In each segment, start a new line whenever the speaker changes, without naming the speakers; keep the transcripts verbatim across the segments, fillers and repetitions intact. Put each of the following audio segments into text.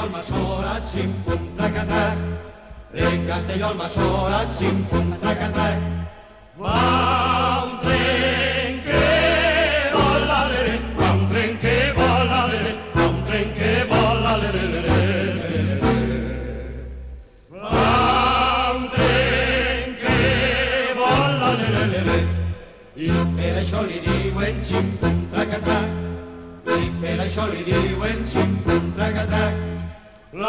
Castelló al Massorat, xim, pum, tracatrac. De Castelló al Massorat, xim, pum, tracatrac. Va un tren que vola, lere, va un tren que vola, lere, va un tren que vola, lere, lere. Va un tren que vola, lere, lere. I per això li diuen xim, pum, tracatrac. I per això li diuen xim, pum, tracatrac. La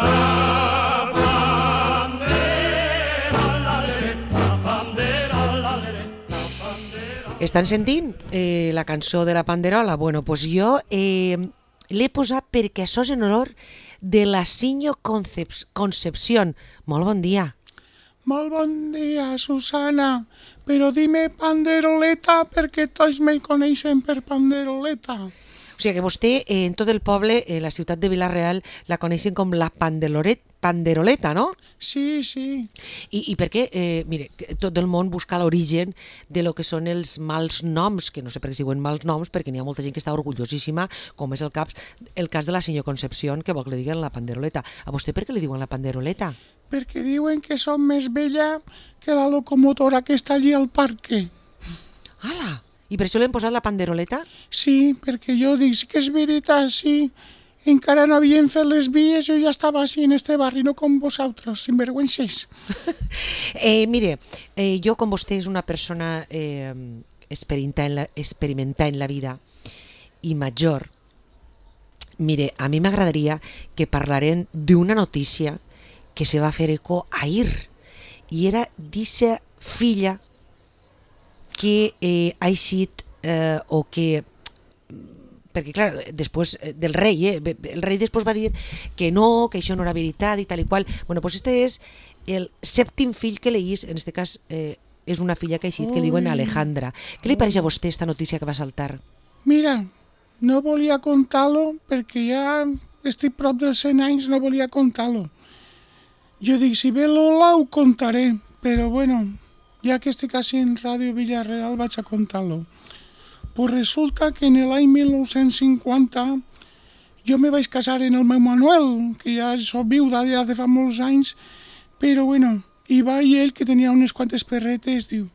Estan sentint eh, la cançó de la Panderola? Bueno, pues jo eh, l'he posat perquè això és en honor de la Sinyo Concep- Concepción. Molt bon dia.
Molt bon dia, Susana. Però dime panderoleta perquè tots me coneixen per panderoleta.
O sigui que vostè, eh, en tot el poble, en la ciutat de Vila-real, la coneixen com la Pandeloret, Panderoleta, no?
Sí, sí.
I, i perquè, eh, mire, tot el món busca l'origen de lo que són els mals noms, que no sé per què es diuen mals noms, perquè n'hi ha molta gent que està orgullosíssima, com és el, caps, el cas de la Sinyo Concepción, que vol que li diguen la Panderoleta. A vostè per què li diuen la Panderoleta?
Perquè diuen que som més vella que la locomotora que està allí al parque.
Ala! I per això li hem posat la Panderoleta?
Sí, perquè jo dic, sí que és veritat, sí. Encara no havien fet les vies, jo ja estava així en este barri, no com vosaltres, sinvergüences.
eh, mire, eh, jo com vostè és una persona eh, experimentada en la, experimentada en la vida i major, mire, a mi m'agradaria que parlarem d'una notícia que se va fer eco ahir, i era d'eixa filla que eh, ha eixit eh, o que, perquè clar, després del rei, eh, el rei després va dir que no, que això no era veritat i tal i qual. Bueno, doncs este és el sèptim fill que leís, en este cas eh, és una filla que ha eixit, que li diuen Alejandra. Què li pareix a vostè esta notícia que va saltar?
Mira, no volia contar-lo perquè ja estic prop dels cent anys, no volia contar-lo. Jo dic, si ve Lola ho contaré, però bueno, ja que estic així en Ràdio Villarreal vaig a contar-lo. Pues resulta que en l'any mil nou-cents cinquanta jo me vaig casar en el meu Manuel, que ja soc viuda ja de fa molts anys, però bueno, i va i ell, que tenia unes quantes perretes, diu,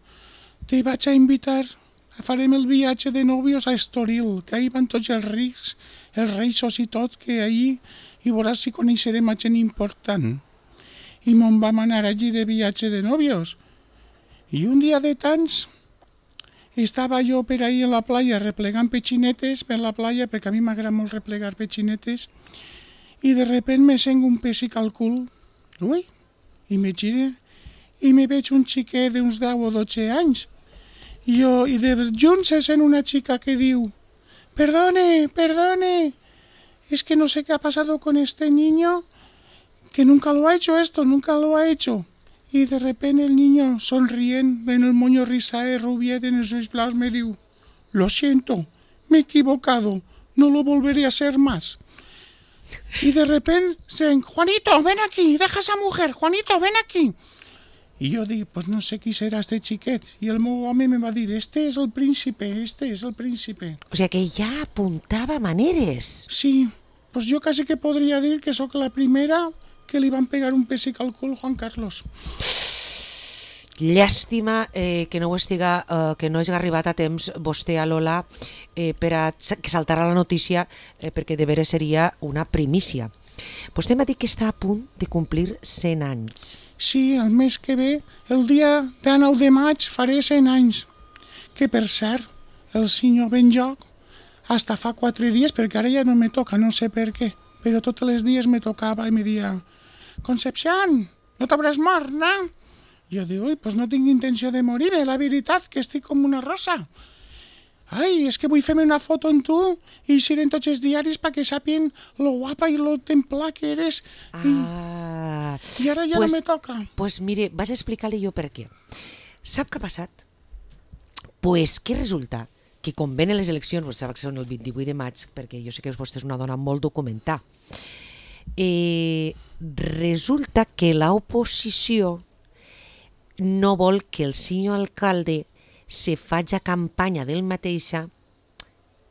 te vaig a invitar, farem el viatge de nòvios a Estoril, que ahir van tots els rics, els reixos i tot, que ahir, i veuràs si coneixerem a gent important. I me'n vam anar allí de viatge de nòvios. I un dia de tants estava jo per ahí en la playa replegant petxinetes per la playa, perquè a mi m'agrada molt replegar petxinetes, i de repent me sent un pessic al cul. Ui, i me gire i me veig un xiquet d'uns deu o dotze anys. I, jo, i de junt se sent una xica que diu, perdone, perdone, es que no sé qué ha pasado con este niño, que nunca lo ha hecho esto, nunca lo ha hecho. Y de repente el niño, sonriendo, en el moño rizae, rubiet, en esos blaus, me dijo, lo siento, me he equivocado, no lo volveré a hacer más. Y de repente, se, Juanito, ven aquí, deja a esa mujer, Juanito, ven aquí. Y yo digo, pues no sé qui serà este xiquet. I el meu home me va dir, este és el príncipe, este és el príncipe.
O sigui que ja apuntava maneres.
Sí, pues jo quasi que podria dir que sóc la primera que li van pegar un pessic al cul Juan Carlos.
Llàstima eh, que no ho estiga, eh, que no hagi arribat a temps vostè a Lola eh, per a que saltara la notícia, eh, perquè de veres seria una primícia. Vostè m'ha dit que està a punt de complir cent anys.
Sí, el mes que ve, el dia dinou de maig, faré cent anys. Que per cert, el senyor Benjoc, hasta fa quatre dies, perquè ara ja no me toca, no sé per què, però tots els dies me tocava i me dia, Concepción, no t'hauràs mort, no? Jo dic, ui, pues no tinc intenció de morir, la veritat, que estic com una rosa. Ai, és que vull fer-me una foto amb tu i eixir en tots els diaris perquè sàpien lo guapa i lo templà que eres.
Ah,
I ara ja
pues,
no me toca.
Pues mire, vaig a explicar-li jo per què. Sap què ha passat? Pues que resulta que com venen les eleccions, vostè sap que són el vint-i-vuit de maig, perquè jo sé que vostè és una dona molt documentada, eh, resulta que l'oposició no vol que el senyor alcalde se faci campanya del mateixa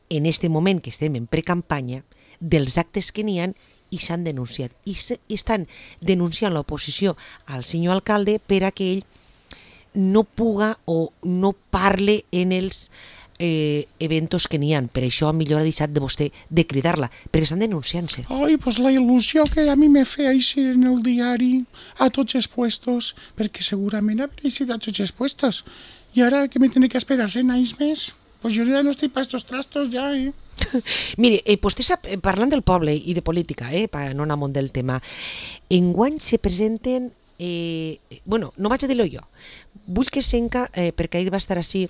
en este moment que estem en precampanya dels actes que n'hi ha i s'han denunciat. I, se, i estan denunciant l'oposició al senyor alcalde per a que ell no puga o no parle en els eh, eventos que n'hi ha. Per això millor ha deixat de vostè de cridar-la, perquè estan denunciant-se.
Ai, pues la il·lusió que a mi me feia així en el diari a tots els puestos, perquè segurament haver eixit a tots els puestos. I ara que me tindré que esperar cent anys més, pues jo ja no estic pa estos trastos ja, eh?
Mire, eh, vostè sap, parlant del poble i de política, eh, per no anar amunt del tema, enguany se presenten, eh, bueno, no vaig a dir-lo jo, vull que senca, eh, perquè ahir va estar així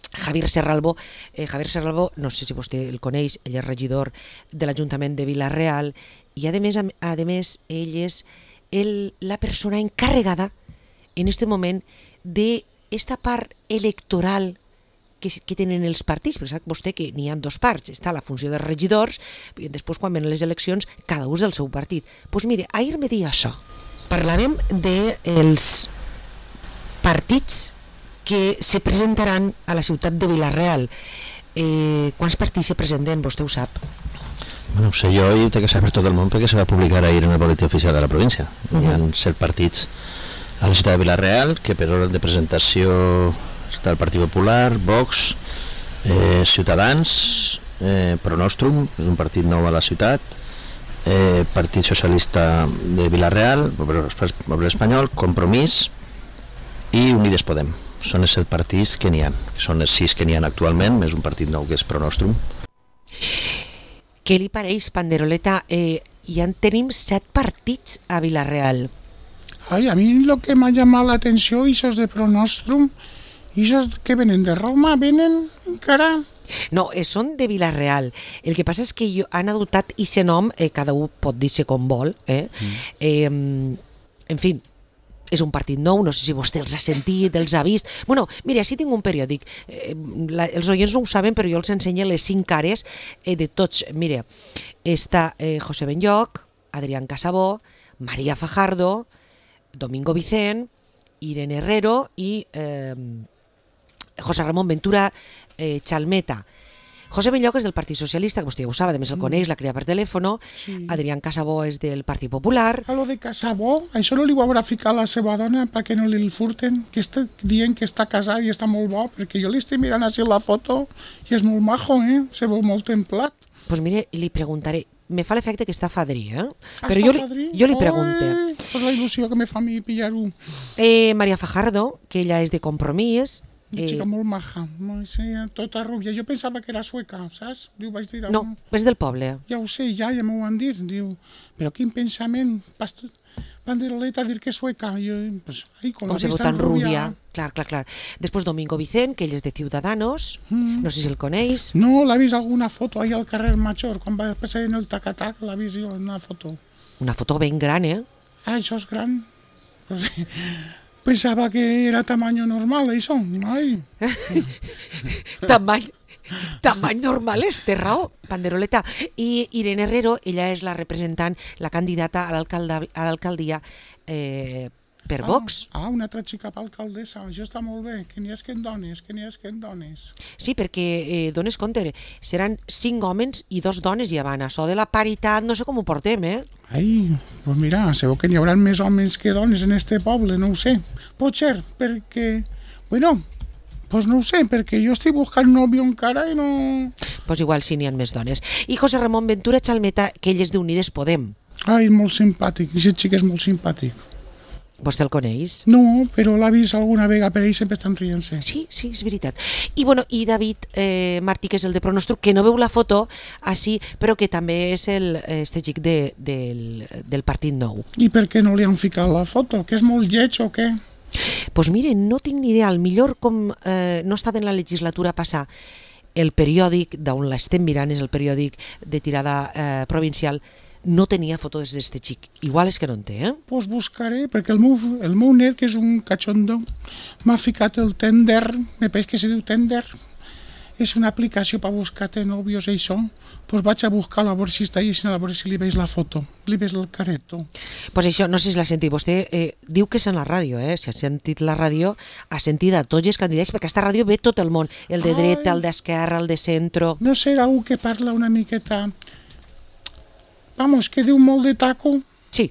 Javier Serralbo. eh, Javier Serralbo, no sé si vostè el coneix, ell és regidor de l'Ajuntament de Vila-real i a més, a, a més ell és el, la persona encarregada en este moment de esta part electoral que, que tenen els partits, perquè sap vostè que n'hi ha dos parts, està la funció dels regidors i després quan venen les eleccions cada un del seu partit. Doncs pues mire, ahir me deia això, parlarem dels partits que se presentaran a la ciutat de Vila-real. Eh, quants partits se presenten, vostè ho sap?
Bueno, ho sé jo i ho té que saber tot el món perquè se va publicar ahir en el boletí oficial de la província. Uh-huh. Hi ha set partits a la ciutat de Vila-real, que per ordre de presentació està el Partit Popular, Vox, eh, Ciutadans, eh, Pronostrum, és un partit nou a la ciutat, eh, Partit Socialista de Vila-real, Poble Espanyol, Compromís i Unides Podem. Són els set partits que n'hi ha, que són els sis que n'hi ha actualment, més un partit nou que és Pronostrum.
Què li pareix, Panderoleta? Eh, ja en tenim set partits a Vila-real.
Ay, a mí lo que me ha llamado la atención, esos de Pronostrum, esos que vienen de Roma, vienen, cara...
No, eh, són de Vila-real. El que passa és que jo, han adoptat aquest nom, eh, cada un pot dir-se com vol, eh? Mm. Eh, en fi, és un partit nou, no sé si vostè els ha sentit, els ha vist... Bueno, mira, així tinc un periòdic, eh, la, els oients no ho saben, però jo els ensenyo les cinc cares eh, de tots. Mira, està eh, José Benlloch, Adrián Casabó, María Fajardo, Domingo Vicent, Irene Herrero i eh, José Ramón Ventura eh, Chalmeta. José Benlloch és del Partit Socialista, que vostè ja ho sap, a més el coneix, la cria per telèfono. Sí. Adrián Casabó és del Partit Popular.
A lo de Casabó, això no li ho haurà ficat la seva dona perquè no li el furten, que està dient que està casat i està molt bo, perquè jo li estic mirant així la foto i és molt majo, eh? Se veu molt templat.
Doncs pues mire, li preguntaré. Me fa l'efecte que està fadrí, eh?
Ah,
però jo li, jo li pregunte.
Pues la il·lusió que me fa a mi pillar-ho.
Eh, María Fajardo, que ella és de Compromís.
Una xica eh... molt maja, sí, tota rubia. Jo pensava que era sueca, saps? Diu, vaig dir...
No, és del poble.
Ja ho sé, ja, ja m'ho van dir. Diu, però quin pensament, pastor... Panderoleta, dir que és sueca. Jo, pues, ai, com,
com se veu tan rubia. Clar, clar, clar. Després Domingo Vicent, que ell és de Ciudadanos, mm. no sé si el coneix.
No, l'ha vist alguna foto ahí al carrer Major, quan va passar en el tac-a-tac, l'ha vist jo en una foto.
Una foto ben gran, eh?
Ah, això és gran. Pues, pensava que era tamaño normal, això. Ai.
Tamany, tamany normal és, té raó, Panderoleta. I Irene Herrero, ella és la representant, la candidata a l'alcaldia eh, per Vox.
Ah, ah, una altra xica per alcaldessa, això està molt bé, que n'hi ha que en dones, que n'hi ha que en dones.
Sí, perquè, eh, dones compte, seran cinc homes i dos dones i avant. Això de la paritat, no sé com ho portem, eh?
Ai, pues mira, segur que n'hi haurà més homes que dones en este poble, no ho sé. Pot ser, perquè, bueno, pues no ho sé, perquè jo estic buscant nòvio encara i no...
Pues igual sí n'hi ha més dones. I José Ramón Ventura Chalmeta, que ell és d'Unides Podem.
Ai, molt simpàtic, aquest xic és molt simpàtic.
Vostè el coneix?
No, però l'ha vist alguna vegada, per ell sempre estan rient-se.
Sí, sí, és veritat. I, bueno, i David eh, Martí, que és el de Pronostrum, que no veu la foto així, però que també és el, este xic de, del, del Partit Nou.
I per què no li han ficat la foto? Que és molt lleig o què?
Doncs pues mire, no tinc ni idea. Al millor, com eh, no estava en la legislatura passada, el periòdic d'on l'estem mirant és el periòdic de tirada eh, provincial, no tenia fotos d'este xic. Igual és que no en té, eh?
Doncs pues buscaré, perquè el meu, el meu net, que és un cachondo, m'ha ficat el Tinder, me pareix que se diu Tinder, és una aplicació per buscar-te nòvios i això, doncs pues vaig a buscar-lo a veure si està allà, a veure si li veig la foto, li veig el careto.
Doncs pues això, no sé si l'ha sentit, vostè eh, diu que és en la ràdio, eh? Si ha sentit la ràdio, ha sentit a tots els candidats, perquè aquesta ràdio ve tot el món, el de dreta, el d'esquerra, el de centro...
No serà algú que parla una miqueta... vamos, que diu molt de taco.
Sí.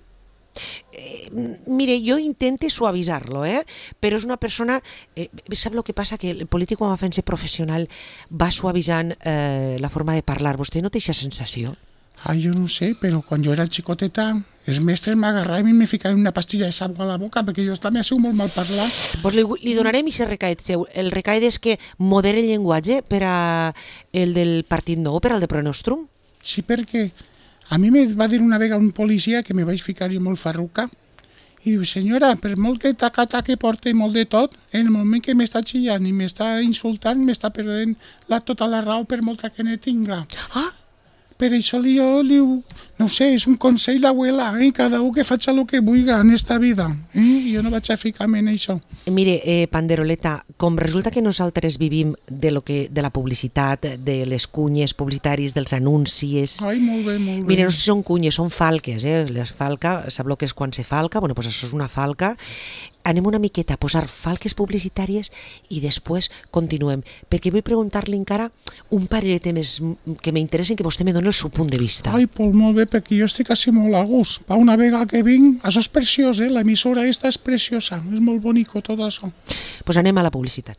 Eh, mire, jo intente suavitzar-lo, eh? Però és una persona... Eh, sap el que passa? Que el polític, quan va fent-se professional, va suavitzant eh, la forma de parlar. Vostè no té aquesta sensació?
Ai, jo no sé, però quan jo era xicoteta, els mestres m'agarraven i me ficaven una pastilla de sal a la boca, perquè jo també ha sigut molt mal parlar.
Pues li, li donarem aquest recaet seu. El recaet és que modere el llenguatge per a el del Partit Nou, per al de Pronostrum.
Sí, perquè a mi me va dir una vegada un policia que me vaig ficar jo molt farruca i diu, senyora, per molt que taca-taca que porta molt de tot, en el moment que m'està xillant i m'està insultant, m'està perdent la, tota la raó per molta que ne tinga.
Ah!
Per això li, jo li diu, no sé, és un consell d'abuela, eh? Cada un que faci el que vulgui en esta vida. Eh? Jo no vaig a ficar-me en això.
Mire, eh, Panderoleta, com resulta que nosaltres vivim de, lo que, de la publicitat, de les cunyes publicitaris, dels anuncis...
Ai, molt bé, molt bé.
Mire, no sé si són cunyes, són falques, eh? Les falca, sap el que és quan se falca? Bueno, pues això és una falca. Anem una miqueta a posar falques publicitàries i després continuem, perquè vull preguntar-li encara un parell de temes que m'interessen, que vostè me doni el seu punt de vista.
Ai, pues molt bé, perquè jo estic quasi molt a gust. Pa una vegada que vinc, això és preciós, eh? L'emissora esta és preciosa, és molt bonico tot això.
Pues anem a la publicitat.